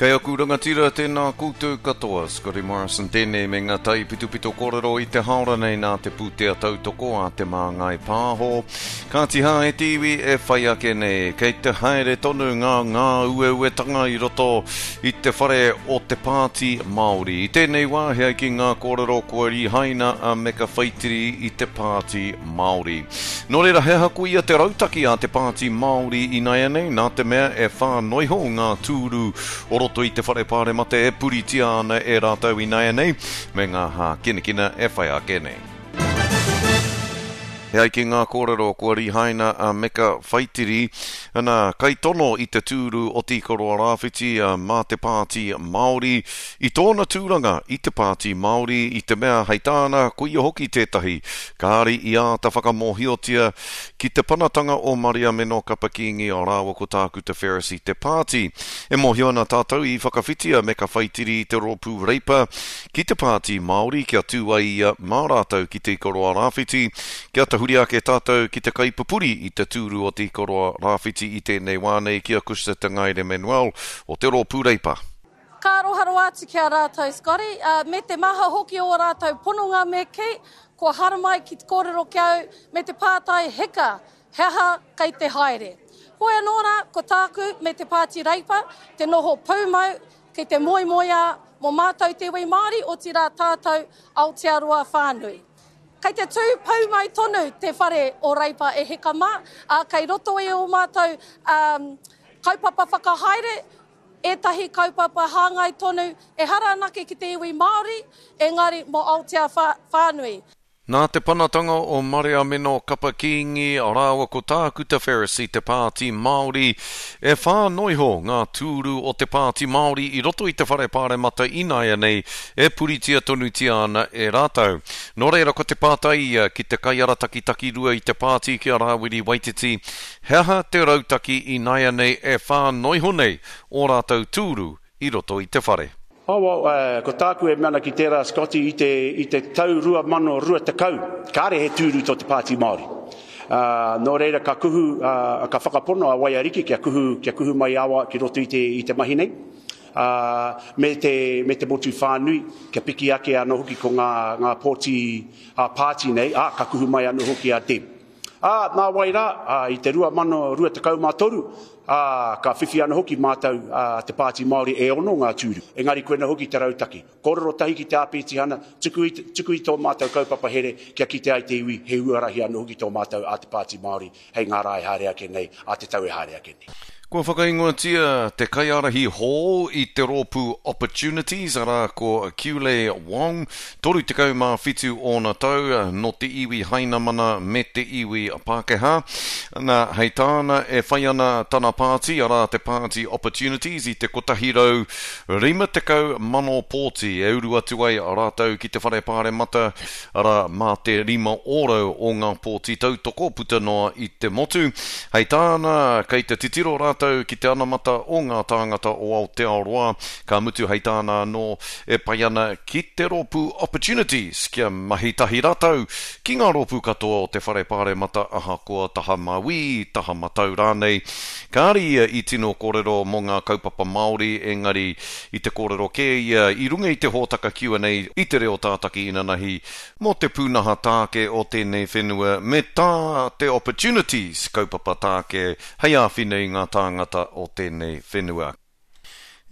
Kei aku rangatira, tēnā koutou katoa. Scotty Morrison tēnei me ngā taipitopito kōrero i te haora nei nā te pūtea tautoko a Te Māngai Pāho. Kāti hā e te iwi e whai ake nei, kei te haere tonu ngā ngāueuetanga i roto i te whare o te Pāti Māori. I tēnei wā, he ai ki ngā kōrero kua rihaina a Meka Whaitiri i te Pāti Māori. Nō reira, he aha koia te rautaki a te Pāti Māori inaianei, nā te mea e whānoi iho ngā tūru o roto i te Whare Pāremata e puritia ana e rātou inaianei, me ngā hākinakina e whai ake nei. E ai ki ngā kōrero kua rihaina a Meka Whaitiri, ana, kaitono i te tūru o Te Ikaroa-Rāwhiti mā te Pāti Māori, i tōna tūranga i te Pāti Māori, i te mea, hei tāna, koia hoki tētahi kāre i āta whakamōhiotia ki te panatanga o Mariameno Kapa Kīngi rāua ko Tākuta Ferris i te pāti. E mōhio ana tātou i whakawhiti a Meka Whaitiri i te rōpū Reipa ki te Pāti Māori kia tū ai ia mā rātou ki Te Ikaroa Rāwhiti, kia tahuri ake tātou ki te kaipupuri i te tūru o Te Ikaroa Rāwhiti i tēnei wā nei ki a Cushla Te Ngaere Manuel o te rōpū Reipa. Ka aroha rawa atu ki a rātou, Scotty, ā, me te maha hoki o ō rātou pononga me kī, kua haramai ki te kōrero ki au me te pātai heka, he aha kei te haere? Hoi anō rā, ko tāku me te Pāti Reipa te noho pūmau ki te moemoeā mō mātou te iwi Māori, otirā tātou Aotearoa whānui. Kei te tū pūmau tonu te whare o Reipa e heka mā, ā, kei roto i ō mātou kaupapa whakahaere, ētahi kaupapa hāngai tonu, ehara anake ki te iwi Māori, engari mō Aotea whānui. Nā te panatanga o Mariameno Kapa Kīngi rāua ko Tākuta Ferris i te Pāti Māori, e whā noiho ngā tūru o te Pāti Māori i roto i te Whare Pāremata ināianei e puritia tonutia ana e rātou. Nō reira ko te pātai ia ki te kaiarataki takirua i te pāti ki a Rāwiri Waititi, He aha te rautaki ināianei e whānoi iho nei ō rātou tūru i roto i te whare? Oh, well, ko tāku e mea ana ki tērā, Scotty, i te, i te tau 2020, kāre he tūru tō te Pāti Māori. Uh, nō reira ka kuhu, uh, ka whakapono a Waiariki kia kuhu, kia kuhu mai awa ki roto i te, i te mahi nei. Uh, me te, me te motu whānui, kia piki ake anō hoki ko ngā, ngā pōti ā-pāti nei, ā, ka kuhu mai anō hoki a Deb. Ā, nāwai rā, ā, i te 2023, ā, ka whiwhi anō hoki mātou, ā, te Pāti Māori e ono ngā tūru. Engari koina hoki te rautaki. Kōrero tahi ki te āpitihana, tuku i, tuku i tō mātou kaupapa here kia kite ai te iwi he huarahi anō hoki tō mātou ā te Pāti Māori hei ngā rā e haere ake nei, ā te tau e haere ake nei. Kua whakaingoatia te kaiārahi hou i te rōpū Opportunities, arā, ko Kiule Wong, 37 ōna tau, nō te iwi Hainamana me te iwi Pākehā. Nā, hei tāna, e whai ana tana pāti, arā, te Pāti Opportunities, i te 150,000 pōti e uru atu ai rātou ki te Whare Pāremata arā, mā te 5% o ngā pōti tautoko puta noa i te motu. Hei tāna, kei te titiro rātou ki te anamata o ngā tāngata o Aotearoa, ka mutu hei tāna anō, e pai ana ki te rōpū Opportunities kia mahi tahi rātou ki ngā rōpū katoa o te Whare Pāremata ahakoa taha mauī, taha matau rānei. Kāre ia i tino kōrero mō ngā kaupapa Māori, engari I te kōrero kē ia i runga i te hōtaka Q&A i te reo tātaki inanahi mō te pūnaha tāke o tēnei whenua me tā te Opportunities kaupapa tāke hei āwhina i ngā tāngata o tēnei whenua.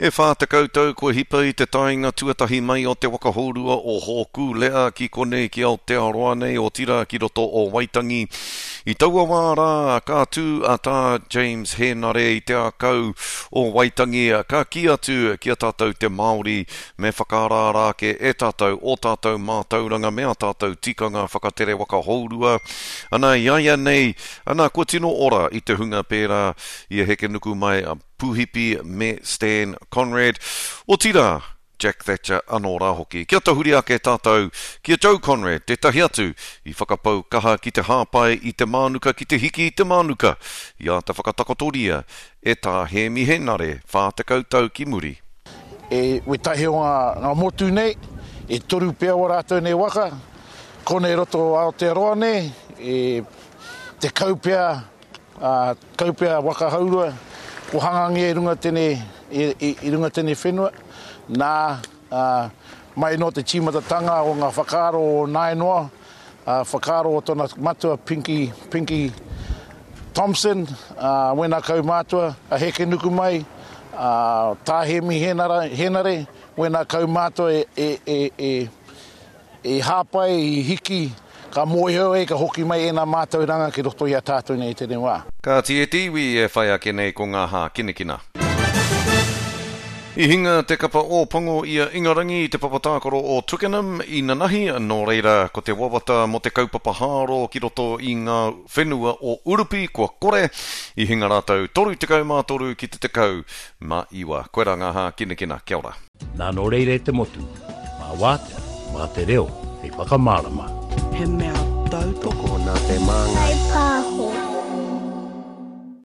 E 40 tau kua hipa i te taenga tuatahi mai o te waka hourua o Hōkūle'a ki konei ki Aotearoa nei, otirā ki roto o Waitangi. I taua wā rā, ka tū a Tā James Hēnare i te ākau o Waitangi, ka kī atu ki a tātou te Māori, me whakaaraara ake e tātou ō tātou mātauranga me ā tātou tikanga whakatere waka hourua. Ana, i a ia nei, ana, kua tino ora i te hunga pērā i a Hekenukumai Puhipi me Stan Conrad. Otirā, Jack Thatcher anō rā hoki. Kia tahuri ake tātou ki a Joe Conrad, tētahi atu i whakapau kaha ki te hāpai i te mānuka ki te hiki i te mānuka i āta whakatakotoria e Tā Hēmi Henare 40 tau ki muri. E wetahi o nga motu nei, e toru pea o ratou nei waka, konei roto o Aotearoa nei, e tekau pea Ā, kaupea waka haurua. Ko hangangia i runga tēnei, i, i, i runga tēnei whenua, nā, ā, mai nō te tīmatatanga o ngā whakaaro o Nainoa, ā, whakaaro o tōna matua Pinky, Pinky Thompson, ā, wēnā kaumātua, a Hekenukumai, ā, Tā Hēmi Hēnara, Hēnare, wēnā kaumātua e, e, e, e, I hāpai, i hiki, ka mōhio ai ka hoki mai ēnā mātauranga ki roto i a tātou nei i tēnei wā. Kāti e te iwi e whai ake nei ko ngā hākinakina. I hinga te kapa Ōpango i a Ingarangi i te papa tākaro o Twickenham i nanahi, nō reira ko te wawata mō te kaupapa hāro ki roto i ngā whenua o Urupi kua kore, i hinga rātou 33 ki te 19. Koirā ngā hākinakina. Kia ora. Nā nō reira e te motu, mā wātea, mā te reo hei whakamārama. He mea tautoko nā te māngai. Kaipāho.